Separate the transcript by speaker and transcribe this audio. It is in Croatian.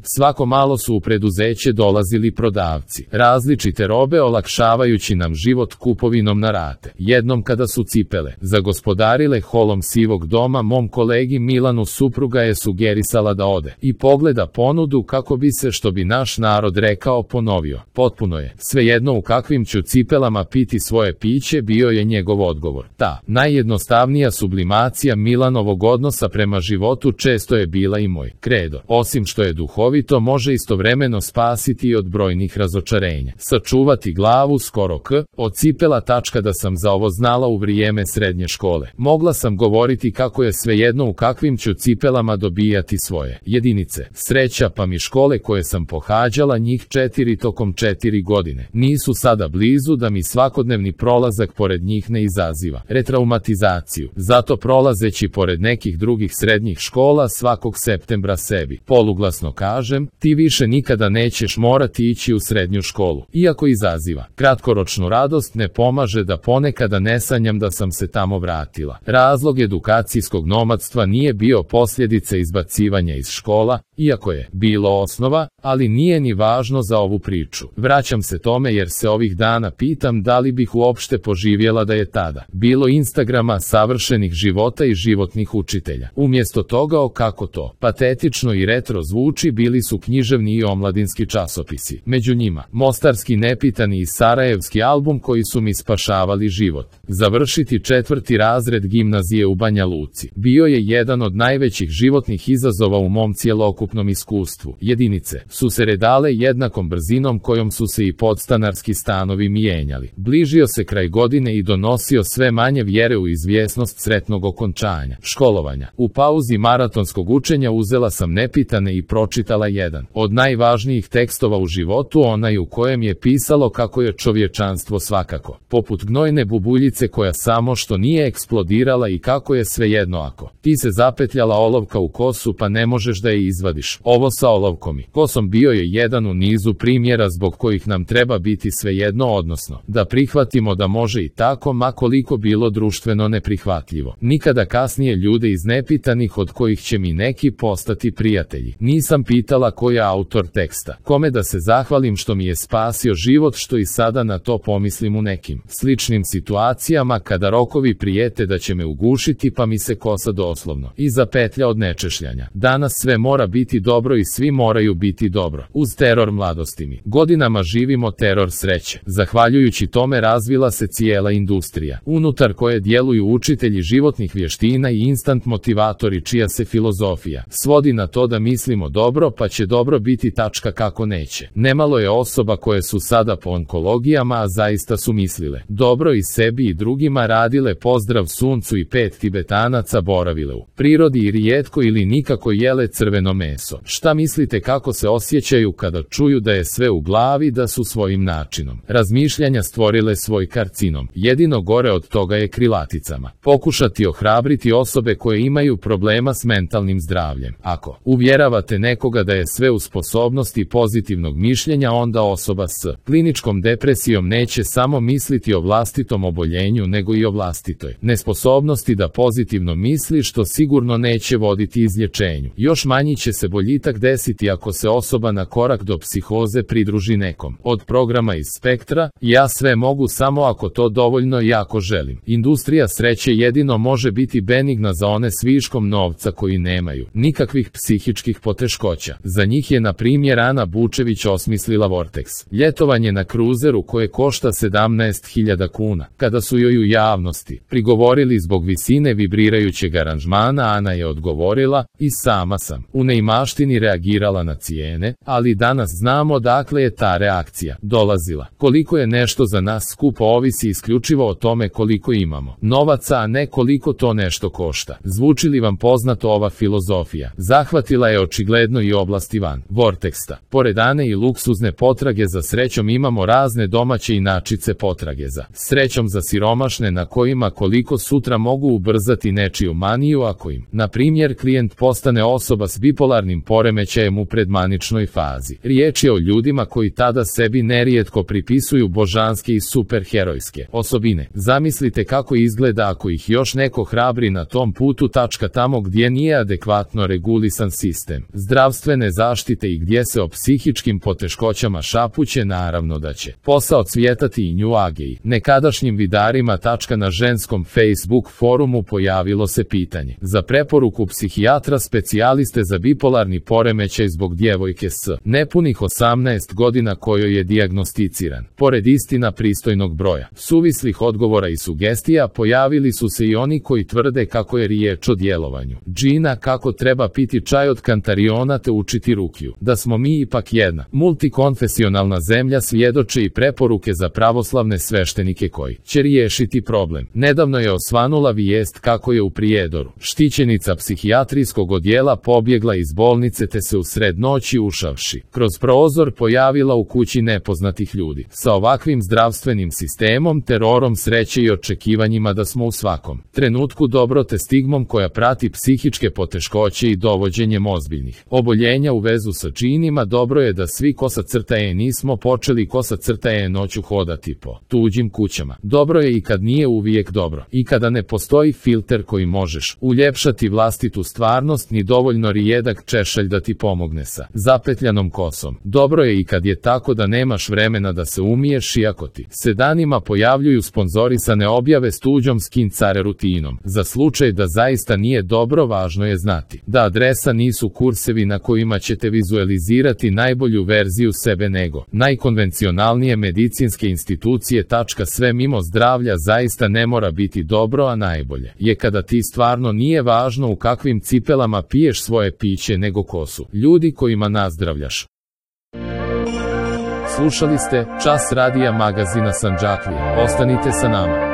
Speaker 1: Svako malo su u preduzeće dolazili prodavci različite robe, olakšavajući nam život kupovinom na rate. Jednom kada su cipele zagospodarile holom sivog doma, mom kolegi Milanu supruga je sugerisala da ode i pogleda ponudu kako bi se, što bi naš narod rekao, ponovio. Potpuno je svejedno u kakvim ću cipelama piti svoje piće, bio je njegov odgovor. Ta najjednostavnija sublimacija Milanovog odnosa prema životu često je bila i moj kredo. Osim što je duhovito, može istovremeno spasiti i od brojnih razočarenja. Sačuvati glavu skoro od cipela. Da sam za ovo znala u vrijeme srednje škole. Mogla sam govoriti kako je svejedno u kakvim ću cipelama dobijati svoje jedinice. Sreća pa mi škole koje sam pohađala, njih 4 tokom 4 godine, nisu sada blizu da mi svakodnevni prolazak pored njih ne izaziva retraumatizaciju. Zato prolazeći pored nekih drugih srednjih škola svakog septembra sebi poluglasno kažem, ti više nikada nećeš morati ići u srednju školu. Iako izaziva kratkoročnu radost, ne pomaže da ponekada ne sanjam da sam se tamo vratila. Razlog edukacijskog nomadstva nije bio posljedica izbacivanja iz škola, iako je bilo osnova, ali nije ni važno za ovu priču. Vraćam se tome jer se ovih dana pitam da li bih uopšte poživjela da je tada bilo Instagrama, savršenih života i životnih učitelja. Umjesto toga, kako to patetično i retro zvuči, bili su književni i omladinski časopisi. Među njima mostarski Nepitani i sarajevski album koji su mi spašavali život. Završiti 4. razred gimnazije u Banja Luci bio je jedan od najvećih životnih izazova u mom cjelokupnom iskustvu. Jedinice su se redale jednakom brzinom kojom su se i podstanarski stanovi mijenjali. Bližio se kraj godine i donosio sve manje vjere u izvjesnost sretnog okončanja školovanja. U pauzi maratonskog učenja uzela sam Nepitane i pročitala jedan od najvažnijih tekstova u životu, onaj u kojem je pisalo kako je čovječanstvo svakako poput gnojne bubuljice koja samo što nije eksplodirala i kako je svejedno ako ti se zapetljala olovka u kosu pa ne možeš da je izvadiš. Ovo sa olovkom i kosom bio je jedan u nizu primjera zbog kojih nam treba biti svejedno, odnosno da prihvatimo da može i tako, ma koliko bilo društveno neprihvatljivo. Nikada kasnije ljude iz Nepitanih od kojih će mi neki postati prijatelji nisam pitala ko je autor teksta, kome da se zahvalim što mi je spasio život, što i sada na to pomislim u nekim sličnim situacijama kada rokovi prijete da će me ugušiti pa mi se kosa doslovno i zapetlja od nečešljanja. Danas sve mora biti dobro i svi moraju biti dobro. Uz teror mladosti mi godinama živimo teror sreće. Zahvaljujući tome razvila se cijela industrija, unutar koje djeluju učitelji životnih vještina i instant motivatori čija se filozofija svodi na to da mislimo dobro pa će dobro biti, kako neće. Nemalo je osoba koje su sada po onkologijama, a zaista su mislile dobro i sebi i drugima, radile pozdrav suncu i 5 Tibetanaca, boravile u prirodi i rijetko ili nikako jele crveno meso. Šta mislite kako se osjećaju kada čuju da je sve u glavi, da su svojim načinom razmišljanja stvorile svoj karcinom? Jedino gore od toga je krilaticama pokušati ohrabriti osobe koje imaju problema s mentalnim zdravljem. Ako uvjeravate nekoga da je sve u sposobnosti pozitivnog mišljenja, onda osoba s kliničkom depresijom neće samo misliti o vlastitom oboljenju nego i o vlastitoj nesposobnosti da pozitivno misli, što sigurno neće voditi izlječenju. Još manji će se boljitak desiti ako se osoba na korak do psihoze pridruži nekom od programa iz spektra ja sve mogu samo ako to dovoljno jako želim. Industrija sreće jedino može biti benigna za one s viškom novca koji nemaju nikakvih psihičkih poteškoća. Za njih je na primjer Ana Bučević osmislila Vortex, ljetovanje na kruzeru koje košta 17.000 kuna. Kada su joj u javnosti prigovorili zbog visine vibrirajućeg aranžmana, Ana je odgovorila i sama sam u neimaštini reagirala na cijene, ali danas znamo dakle je ta reakcija dolazila. Koliko je nešto za nas skupo ovisi isključivo o tome koliko imamo novaca, a ne koliko to nešto košta. Zvuči li vam poznato ova filozofija? Zahvatila je očigledno i oblasti van Vorteksta. Pored Ane i luksuzne potrage za srećom imamo razne domaće inačice potrage za srećom za siromašne, na kojima koliko sutra mogu ubrzati nečiju maniju ako im, na primjer, klijent postane osoba s bipolarnim poremećajem u predmaničnoj fazi. Riječ je o ljudima koji tada sebi nerijetko pripisuju božanske i superherojske osobine. Zamislite kako izgleda ako ih još neko hrabri na tom putu, tamo gdje nije adekvatno regulisan sistem zdravstvene zdravstvene zaštite i gdje se o psihičkim poteškoćama šapuće, naravno da će posao cvjetati i nju agej. Nekadašnjim vidarima na ženskom Facebook forumu pojavilo se pitanje za preporuku psihijatra specijaliste za bipolarni poremećaj zbog djevojke s nepunih 18 godina kojoj je dijagnosticiran. Pored istina pristojnog broja suvislih odgovora i sugestija, pojavili su se i oni koji tvrde kako je riječ o djelovanju džina, kako treba piti čaj od kantariona te učiti rukiju, da smo mi ipak jedna multikonfesionalna zemlja, svjedoče i preporuke za pravoslavne sveštenike koji će riješiti problem. Nedavno je osvanula vijest kako je u Prijedoru štićenica psihijatrijskog odjela pobjegla iz bolnice te se usred noći ušavši kroz prozor pojavila u kući nepoznatih ljudi. Sa ovakvim zdravstvenim sistemom, terorom sreće i očekivanjima da smo u svakom trenutku dobro te stigmom koja prati psihičke poteškoće i dovođenjem ozbiljnih oboljenja u vezu sa džinima, dobro je da svi nismo počeli noću hodati po tuđim kućama. Dobro je i kad nije uvijek dobro, i kada ne postoji filter koji možeš uljepšati vlastitu stvarnost, ni dovoljno rijedak češalj da ti pomogne sa zapetljanom kosom. Dobro je i kad je tako da nemaš vremena da se umiješ, iako ti se danima pojavljuju sponzorisane objave s tuđom skin care rutinom. Za slučaj da zaista nije dobro, važno je znati da adresa nisu kursevi na kojima ćete vizualizirati najbolju verziju sebe, nego najkonvencionalnije medicinske institucije. Sve mimo zdravlja zaista ne mora biti dobro, a najbolje je kada ti stvarno nije važno u kakvim cipelama piješ svoje piće, nego ko su ljudi kojima nazdravljaš. Slušali ste Čas radija magazina Sandžaklije. Ostanite sa nama.